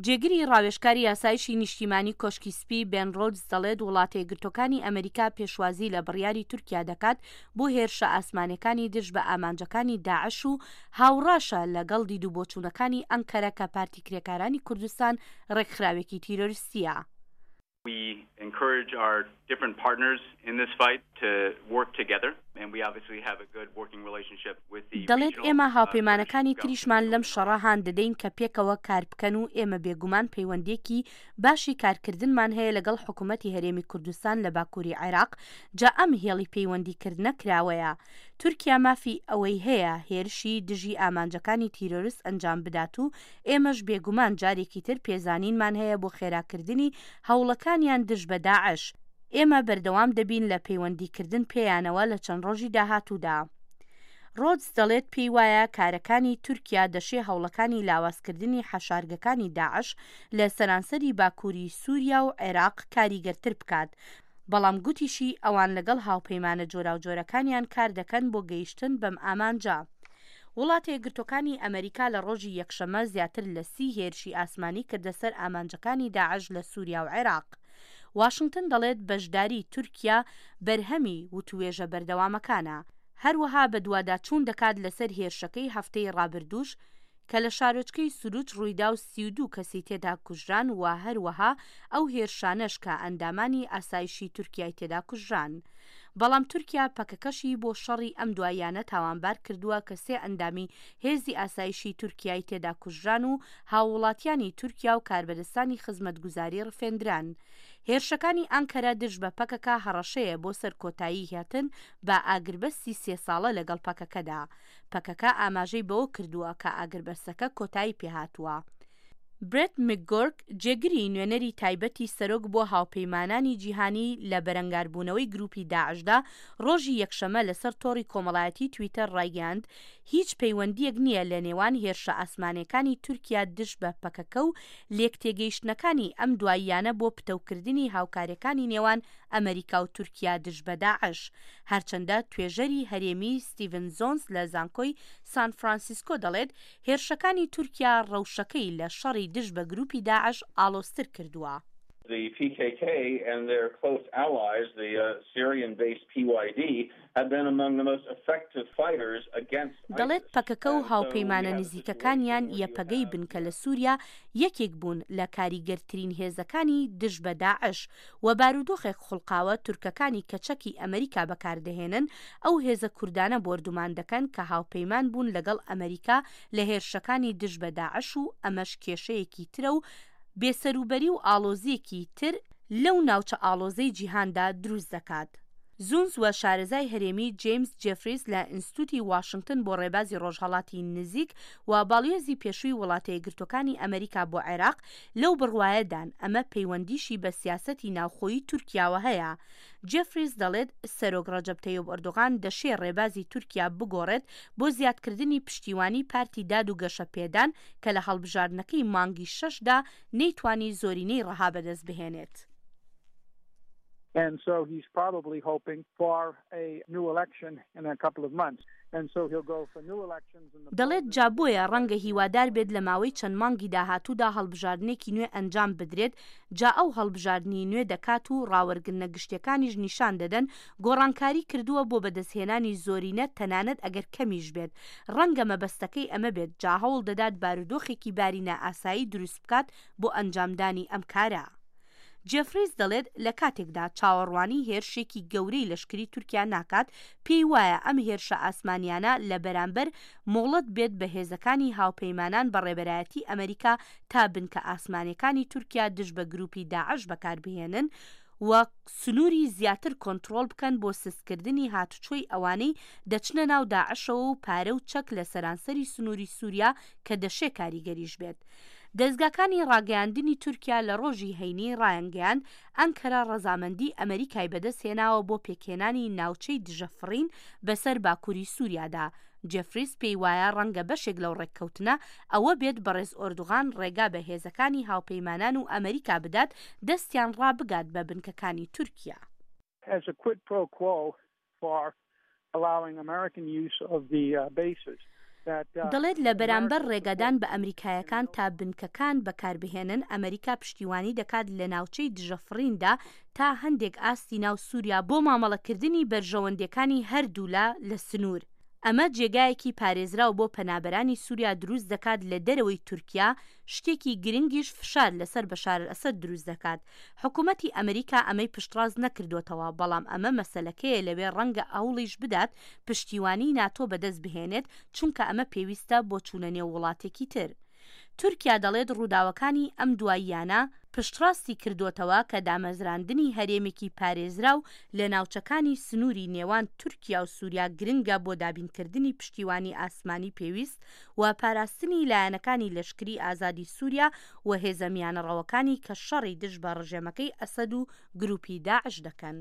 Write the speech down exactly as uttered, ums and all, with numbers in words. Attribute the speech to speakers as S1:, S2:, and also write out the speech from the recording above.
S1: جێگری ڕاوێژکاری ئاسایشی نیشتیمانی کۆشکی سپی بێن ڕۆدز دەڵێت وڵاتە یەکگرتووەکانی ئەمریکا پێشوازی لە بڕیاری تورکیا دەکات بۆ هێرشە ئاسمانیەکانی دژ بە ئامانجەکانی داعش و هاوڕاشە لەگەڵ دیدوبۆچوونەکانی ئەنکەرە کە پارتی کرێکارانی کوردستان ڕێکخراوێکی تیرۆریستیە.
S2: We encourage our different partners in this fight to work together and we obviously have a good working relationship with the
S1: دەڵێت ئێمە هاوپەیمانەکانی تریشمان لەم شەڕە هان دەدەین کە پێکەوە کار بکەن و ئێمە بێگومان پەیوەندیەکی باشی کارکردنمان هەیە لەگەڵ حکوومەتی هەرێمی کوردستان لە باکووری عێراق، جا ئەم هێڵی پەیوەندیکردنە کراوەیە. تورکیا مافی ئەوەی هەیە هێرشی دژی ئامانجەکانی تیرۆرست ئەنجام بدات و ئێمەش بێگومان جارێکی تر پێزانینمان هەیە بۆ خێراکردنی هەوڵەکانیان دژ بە داعش. ئێمە بەردەوام دەبین لە پەیوەندیکردن پێیانەوە لە چەند ڕۆژی داهاتوودا. ڕۆدز دەڵێت پێی وایە کارەکانی تورکیا دەشێ هەوڵەکانی لاوازکردنی حەشارگەکانی داعش لە سەرانسەری باکووری سووریا و عێراق کاریگەرتر بکات، بەڵام گوتیشی ئەوان لەگەڵ هاوپەیمانە جۆراوجۆرەکانیان کار دەکەن بۆ گەیشتن بەم ئامانجە. وڵاتە یەکگرتووەکانی ئەمریکا لە ڕۆژی یەکشەممە زیاتر لە سی هێرشی ئاسمانی کردە سەر ئامانجەکانی داعش لە سووریا و عێراق. واشنگتن دەڵێت بەشداری تورکیا بەرهەمی وتوێژە بەردەوامەکانە. هەروەها بەدواداچوون دەکات لەسەر هێرشەکەی هەفتەی ڕابردووش کە لە شارۆچکەی سوروچ ڕوویدا و سی و دوو کەسی تێدا کوژران و هەروەها ئەو هێرشانەش کە ئەندامانی ئاسایشی تورکیای تێدا کوژران. بەڵام تورکیا پەکەکەشی بۆ شەڕی ئەم دواییانە تاوانبار کردووە کە سێ ئەندامی هێزی ئاسایشی تورکیای تێدا کوژران و هاووڵاتیانی تورکیا و کاربەدەستانی خزمەتگوزاری ڕفێندران. هێرشەکانی ئانکەرە دژ بە پەکەکە هەڕەشەیە بۆ سەر کۆتایی هاتن بە ئاگربەستی سێ ساڵە لەگەڵ پەکەکەدا. پەکەکە ئاماژەی بەوە کردووە کە ئاگربەستەکە کۆتایی پێهاتووە. برێت مکگۆرک، جێگری نوێنەری تایبەتی سەرۆک بۆ هاوپەیمانانی جیهانی لە بەرەنگاربوونەوەی گروپی داعشدا، ڕۆژی یەکشەممە لەسەر تۆڕی کۆمەڵایەتی تویتەر ڕایگەیاند هیچ پەیوەندییەک نییە لە نێوان هێرشە ئاسمانیەکانی تورکیا دژ بە پەکەکە و لێکتێگەیشتنەکانی ئەم دواییانە بۆ پتەوکردنی هاوکاریەکانی نێوان ئەمریکا و تورکیا دژ بە داعش. هەرچەندە توێژەری هەرێمی ستیڤن زۆنس لە زانکۆی سان فرانسیسکۆ دەڵێت هێرشەکانی تورکیا ڕەوشەکەی لە شەڕی دژ بە گروپی داعش ئاڵۆزتر کردووە.
S3: The P K K and their close allies, the uh, Syrian-based P Y D, have been among the most effective fighters against
S1: دەڵێت پەکەکە و هاوپەیمانە نزیکەکانیان یەپەگەی بنکە لە سووریا یەکێک بوون لە کاریگەرترین هێزەکانی دژ بە داعش و بارودۆخێک خوڵقاوە تورکەکانی کە چەکی ئەمریکا بەکاردەهێنن ئەو هێزە کوردانە بۆردومان دەکەن کە هاوپەیمان بوون لەگەڵ ئەمریکا لە هێرشەکانی دژ بە داعش و ئەمەش کێشەیەکی ترە و بێسەروبەری و ئاڵۆزییەکی تر لەو ناوچە ئاڵۆزەی جیهاندا دروست دەکات. زونز و شارەزای هەرێمی جەیمس جێفریس لە ئینستیتوتی واشنگتن بۆ ڕێبازی ڕۆژهەڵاتی نزیک و باڵیۆزی پێشووی وڵاتە یەکگرتووەکانی ئەمریکا بۆ عێراق لەو بڕوایەدان ئەمە پەیوەندیشی بە سیاسەتی ناوخۆیی تورکیاوە هەیە. جێفریس دەڵێت سەرۆک ڕەجەب تەیب ئەردۆغان دەشێ ڕێبازی تورکیا بگۆڕێت بۆ زیادکردنی پشتیوانی پارتی داد و گەشەپێدان کە لە هەڵبژاردنەکەی مانگی شەشدا نەیتوانی زۆرینەی ڕەها بەدەست بهێنێت.
S4: And so he's probably hoping for a new election in a couple of months. And so he'll go for new elections in the
S1: دەڵێت جا بۆیە ڕەنگە هیوادار بێت لە ماوەی چەند مانگی داهاتوودا هەڵبژاردنێکی نوێ ئەنجام بدرێت، جا ئەو هەڵبژاردنی نوێ دەکات و ڕاوەرگرتنە گشتیەکانیش نیشان دەدەن گۆڕانکاری کردووە بۆ بەدەستهێنانی زۆرینە تەنانەت ئەگەر کەمیش بێت. ڕەنگە مەبەستەکەی ئەمە بێت، جا هەوڵ دەدات بارودۆخێکی باری نائاسایی دروست بکات بۆ ئەنجامدانی ئەم کارە. جێفریس دەڵێت لە کاتێکدا چاوەڕوانی هێرشێکی گەورەی لەشکری تورکیا ناکات، پێی وایە ئەم هێرشە ئاسمانیانە لە بەرامبەر مۆڵەت بێت بە هێزەکانی هاوپەیمانان بە ڕێبەرایەتی ئەمریکا تا بنکە ئاسمانیەکانی تورکیا دژ بە گروپی داعش بەکاربهێنن و سنووری زیاتر کۆنترۆڵ بکەن بۆ سستکردنی هاتوچۆی ئەوانەی دەچنە ناو داعشەوە و پارە و چەک لە سەرانسەری سنووری سووریا کە دەشێ کاریگەریش بێت. دەزگاکانی ڕاگەیاندنی تورکیا لە ڕۆژی هەینی ڕایانگەیاند ئەنکەرە ڕەزامەندی ئەمریکای بەدەستهێناوە بۆ پێکهێنانی ناوچەی دژەفڕین بەسەر باکووری سووریادا. جێفریس پێی وایە ڕەنگە بەشێک لەو ڕێککەوتنە ئەوە بێت بەڕێز ئۆردوغان ڕێگا بە هێزەکانی هاوپەیمانان و ئەمریکا بدات دەستیان ڕابگات بە بنکەکانی تورکیا.
S4: As a quid pro quo for allowing American use of the uh, bases.
S1: دەڵێت لە بەرامبەر ڕێگەدان بە ئەمریکایەکان تا بنکەکان بەکاربهێنن، ئەمریکا پشتیوانی دەکات لە ناوچەی دژەفڕیندا تا هەندێک ئاستی ناو سوریا بۆ مامەڵەکردنی بەرژەوەندیەکانی هەردوولا لە سنوور. ئەمە جێگایەکی پارێزراو بۆ پەنابەرانی سوریا دروست دەکات لە دەرەوەی تورکیا، شتێکی گرنگیش فشار لەسەر بەشار ئەسەد دروست دەکات. حکومەتی ئەمریکا ئەمەی پشتڕاست نەکردوتەوە، بەڵام ئەمە مەسەلەکەیە لەوێ ڕەنگە هەوڵیش بدات پشتیوانی ناتۆ بەدەست بهێنێت، چونکە ئەمە پێویستە بۆ چوونە نێو وڵاتێکی تر. تورکیا دەڵێت ڕووداوەکانی ئەم دواییانە پشتڕاستی کردوتەوە کە دامەزراندنی هەرێمێکی پارێزراو لە ناوچەکانی سنووری نێوان تورکیا و سووریا گرنگە بۆ دابینکردنی پشتیوانی ئاسمانی پێویست و پاراستنی لایەنەکانی لەشکری ئازادی سووریا و هێزە میانەڕەوەکانی کە شەڕی دژ بە ڕژێمەکەی ئەسەد و گروپی داعش دەکەن.